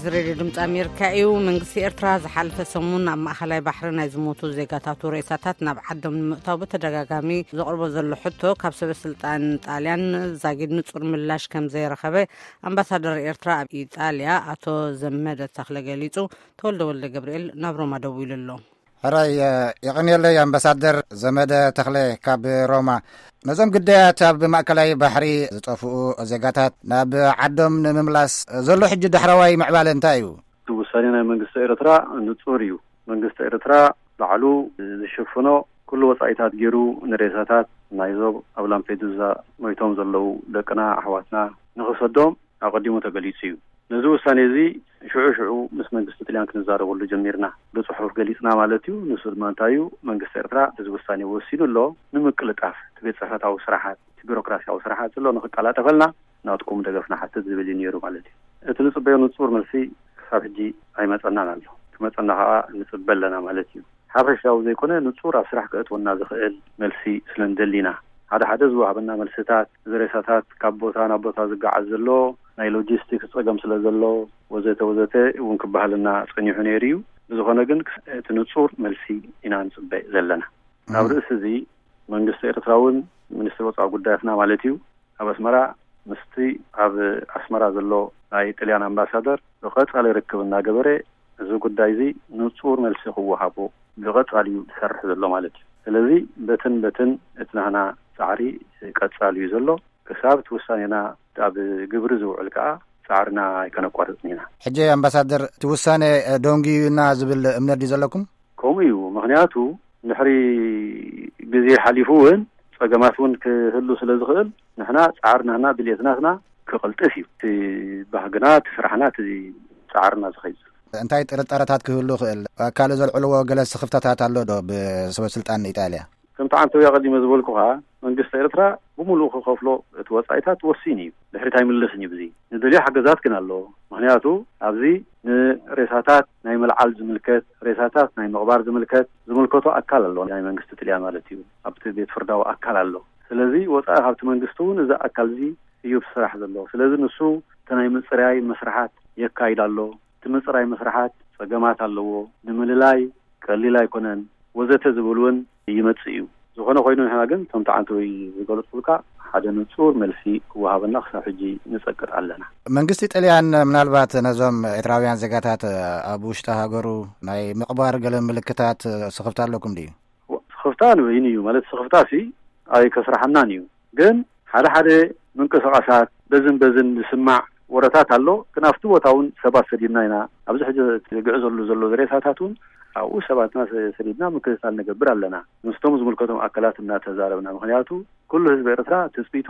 እዚ ሬድዮ ድምፂ ኣሜሪካ እዩ። መንግስቲ ኤርትራ ዝሓለፈ ሰሙን ኣብ ማእኸላይ ባሕሪ ናይ ዝሞቱ ዜጋታቱ ሬሳታት ናብ ዓዶም ንምእታው ብተደጋጋሚ ዘቕርቦ ዘሎ ሕቶ፣ ካብ ሰበ ስልጣን ጣልያን ዛጊድ ንጹር ምላሽ ከም ዘይረኸበ ኣምባሳደር ኤርትራ ኣብ ኢጣልያ ኣቶ ዘመደ ተኽለ ገሊጹ። ተወልደ ወልደ ገብርኤል ናብ ሮማ ደዊሉ ኣሎ። ሕራይ፣ የቐንየለይ ኣምባሳደር ዘመደ ተኽለ ካብ ሮማ። ነዞም ግዳያት ኣብ ማእከላይ ባሕሪ ዝጠፍኡ ዜጋታት ናብ ዓዶም ንምምላስ ዘሎ ሕጂ ዳሕረዋይ ምዕባለ እንታይ እዩ? እቲ ውሳኔ ናይ መንግስቲ ኤርትራ ንጹር እዩ። መንግስቲ ኤርትራ ባዕሉ ዝሽፍኖ ኩሉ ወጻኢታት ገይሩ ንሬሳታት ናይዞም ኣብ ላምፔዱዛ ሞይቶም ዘለዉ ደቅና ኣሕዋትና ንኽሰዶም ኣቐዲሙ ተገሊጹ እዩ። ነዚ ውሳኔ እዚ ሽዑ ሽዑ ምስ መንግስቲ ጥልያን ክንዛረበሉ ጀሚርና። ብጽሑፍ ገሊጽና ማለት እዩ። ንሱ ድማ እንታይ እዩ፣ መንግስቲ ኤርትራ እዚ ውሳኔ ወሲኑ ኣሎ። ንምቅልጣፍ እቲ ቤት ጽሕፈታዊ ስራሓት፣ እቲ ቢሮክራሲያዊ ስራሓት ዘሎ ንኽቀላጠፈልና ናትኩም ደገፍ ንሓትት ዝብል እዩ ነይሩ ማለት እዩ። እቲ ንጽበዮ ንጹር መልሲ ክሳብ ሕጂ ኣይመጸናን ኣሎ። ክመጸና ከኣ ንጽበ ኣለና ማለት እዩ። ሓፈሻዊ ዘይኮነ ንጹር ኣብ ስራሕ ከእትወና ዝኽእል መልሲ ስለ ንደሊ ኢና። ሓደ ሓደ ዝወሃበና መልስታት፣ እዚ ሬሳታት ካብ ቦታ ናብ ቦታ ዝገዓዝ ዘሎ ናይ ሎጂስቲክስ ጸገም ስለ ዘሎ፣ ወዘተ ወዘተ እውን ክበሃልና ጸኒሑ ነይሩ እዩ። ብዝኾነ ግን እቲ ንጹር መልሲ ኢና ንጽበ ዘለና። ኣብ ርእሲ እዚ መንግስቲ ኤርትራ እውን፣ ሚኒስትሪ ወጻኢ ጉዳያትና ማለት እዩ፣ ኣብ ኣስመራ ምስቲ ኣብ ኣስመራ ዘሎ ናይ ጥልያን ኣምባሳደር ብቐጻሊ ርክብ እናገበረ፣ እዚ ጉዳይ እዚ ንጹር መልሲ ክወሃቦ ብቐጻሊ እዩ ዝሰርሕ ዘሎ ማለት እዩ። ስለዚ በትን በትን እቲ ናህና ጻዕሪ ቀጻሊ እዩ ዘሎ። ክሳብ እቲ ውሳኔና ኣብ ግብሪ ዝውዕል ከኣ ጻዕርና ኣይከነቋርጽን ኢና። ሕጂ ኣምባሳደር፣ እቲ ውሳኔ ደንጉዩና ዝብል እምነት ድዩ ዘለኩም? ከምኡ እዩ። ምኽንያቱ ድሕሪ ግዜ ሓሊፉ እውን ጸገማት እውን ክህሉ ስለ ዝኽእል፣ ንሕና ጻዕርናና ድልየትናትና ክቕልጥፍ እዩ። እቲ ባህግና፣ እቲ ስራሕና፣ እቲ ጻዕርና ዝኸይድ ዘሎ። እንታይ ጥርጣረታት ክህሉ ይኽእል? ካልእ ዘልዕልዎ ገለ ስኽፍታታት ኣሎ ዶ ብሰበ ስልጣን ኢጣልያ? ከምቲ ዓንተውያ ቀዲመ ዝበልኩኻ፣ መንግስቲ ኤርትራ ብምሉኡ ክኸፍሎ እቲ ወጻኢታት ወሲኑ እዩ። ድሕሪት ኣይምለስን እዩ። ብዚ ንደልዮ ሓገዛት ግን ኣሎ። ምኽንያቱ ኣብዚ ንሬሳታት ናይ ምልዓል ዝምልከት፣ ሬሳታት ናይ ምቕባር ዝምልከት፣ ዝምልከቶ ኣካል ኣሎ፣ ናይ መንግስቲ ጥልያን ማለት እዩ። ኣብቲ ቤት ፍርዳዊ ኣካል ኣሎ። ስለዚ ወጻኢ ካብቲ መንግስቲ እውን እዚ ኣካል እዚ እዩ ዝስራሕ ዘሎ። ስለዚ ንሱ እቲ ናይ ምጽራይ መስርሓት የካይድ ኣሎ። እቲ ምጽራይ መስርሓት ጸገማት ኣለዎ። ንምልላይ ቀሊል ኣይኮነን፣ ወዘተ ዝብል እውን ይመጽእ እዩ። ዝኾነ ኮይኑ ንሕና ግን፣ ከምቲ ዓንተውይ ዝገለጽኩልካ፣ ሓደ ንጹር መልሲ ክወሃበና ክሳብ ሕጂ ንጸቅጥ ኣለና። መንግስቲ ጥልያን ምናልባት ነዞም ኤርትራውያን ዜጋታት ኣብ ውሽጢ ሃገሩ ናይ ምቕባር ገለ ምልክታት ስኽፍታ ኣለኩም ድዩ? ስኽፍታ ንበይኑ እዩ፣ ማለት ስኽፍታ ሲ ኣይከስርሓናን እዩ። ግን ሓደ ሓደ ምንቅስቓሳት በዝን በዝን ዝስማዕ ወረታት ኣሎ። ግን ኣብቲ ቦታ እውን ሰባት ሰዲድና ኢና። ኣብዚ ሕጂ ዝግዕዘሉ ዘሎ ሬሳታት እውን ኣብኡ ሰባትና ሰ-፣ ሰዲድና ምክትታል ንገብር ኣለና። ምስቶም ዝምልከቶም ኣካላት እናተዛረብና። ምኽንያቱ ኩሉ ህዝቢ ኤርትራ ትጽቢቱ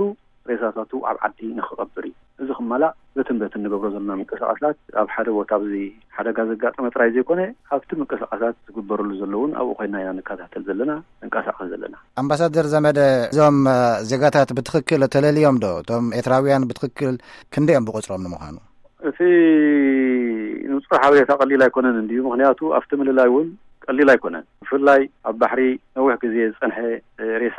ሬሳታቱ ኣብ ዓዲ ንኽቐብር እዩ። እዚ ክማላእ በትን በትን ንገብሮ ዘለና ምንቅስቓሳት ኣብ ሓደ ቦታ ኣብዚ ሓደጋ ዘጋጠመ ጥራይ ዘይኮነ፣ ኣብቲ ምንቅስቓሳት ዝግበረሉ ዘለውን ኣብኡ ኮይና ኢና ንከታተል ዘለና፣ ንንቀሳቐስ ዘለና። ኣምባሳደር ዘመደ፣ እዞም እ፣ ዜጋታት ብትኽክል ተለልዮም ዶ? እቶም ኤርትራውያን ብትኽክል ክንደይ እዮም ብቑጽሮም ንምዃኑ? እቲ ንጹር ሓበሬታ ቀሊል ኣይኮነን እንድዩ፣ ምኽንያቱ ኣብቲ ምልላይ እውን ቀሊል ኣይኮነን። ብፍላይ ኣብ ባሕሪ ነዊሕ ግዜ ዝጸንሐ እ፣ ሬሳ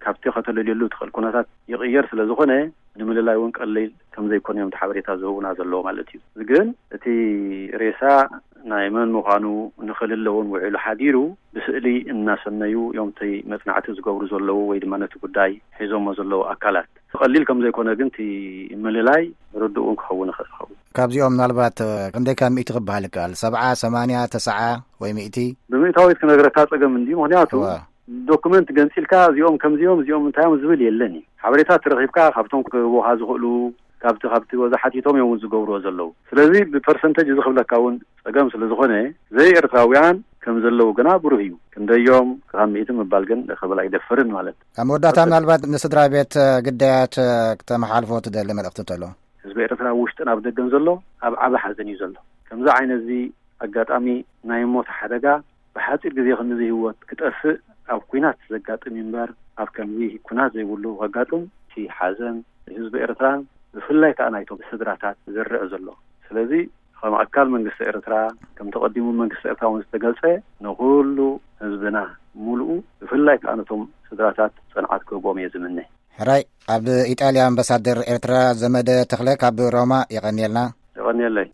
ካብቲ ከተለልየሉ ትኽእል ኩነታት ይቕየር ስለ ዝኾነ፣ ንምልላይ እውን ቀሊል ከም ዘይኮነ እዮም እቲ ሓበሬታ ዝህቡና ዘለዉ ማለት እዩ። ግን እቲ ሬሳ ናይ መን ምዃኑ ንኽልለ እውን ውዒሉ ሓዲሩ ብስእሊ እናሰነዩ እዮም እቲ መጽናዕቲ ዝገብሩ ዘለዉ ወይ ድማ ነቲ ጉዳይ ሒዞሞ ዘለዉ ኣካላት። ቀሊል ከም ዘይኮነ ግን እቲ ምልላይ ርዱእ እውን ክኸውን ይኽእል ይኸውን። ካብዚኦም ምናልባት ክንደይ ካብ ሚእቲ ክበሃል ይከኣል? ሰብዓ፣ ሰማንያ፣ ተስዓ ወይ ሚእቲ? ብምእታዊት ክነግረካ ጸገም እንድዩ። ምኽንያቱ እዋ። ዶክመንት ገንጺልካ እዚኦም ከምዚኦም እዚኦም እንታዮም ዝብል የለን እዩ። ሓበሬታ ተረኺብካ ካብቶም ክህቡኻ ዝኽእሉ፣ ካብቲ፣ ካብቲ ወዛ ሓቲቶም እዮም እውን ዝገብርዎ ዘለዉ። ስለዚ ብፐርሰንተጅ እዚ ክብለካ እውን ጸገም ስለ ዝኾነ፣ ዘይ ኤርትራውያን ከም ዘለዉ ግና ብሩህ እዩ። ክንደዮም ካብ ሚእቲ ምባል ግን ክብል ኣይደፍርን ማለት። ኣብ መወዳእታ ምናልባት ንስድራ ቤት ግዳያት ክተመሓልፎ ትደሊ መልእኽቲ እንተሎ? ህዝቢ ኤርትራ ኣብ ውሽጥን ኣብ ደገን ዘሎ ኣብ ዓቢ ሓዘን እዩ ዘሎ። ከምዚ ዓይነት እዚ ኣጋጣሚ ናይ ሞት ሓደጋ ብሓጺር ግዜ ክንዚ ህይወት ክጠፍእ ኣብ ኲናት ዘጋጥም እዩ እምበር፣ ኣብ ከምዚ ኲናት ዘይብሉ ከጋጥም፣ እቲ ሓዘን ህዝቢ ኤርትራን ብፍላይ ከኣ ናይቶም ስድራታት ዝርዕ ዘሎ። ስለዚ ከም ኣካል መንግስቲ ኤርትራ፣ ከም ተቐዲሙ መንግስቲ ኤርትራ እውን ዝተገልጸ፣ ንኹሉ ህዝብና ምሉኡ፣ ብፍላይ ከኣ ነቶም ስድራታት ጽንዓት ክህቦም እየ ዝምነ። ሕራይ፣ ኣብ ኢጣልያ ኣምባሳደር ኤርትራ ዘመደ ተኽለ ካብ ሮማ፣ የቐንየልና። የቐንየለይ።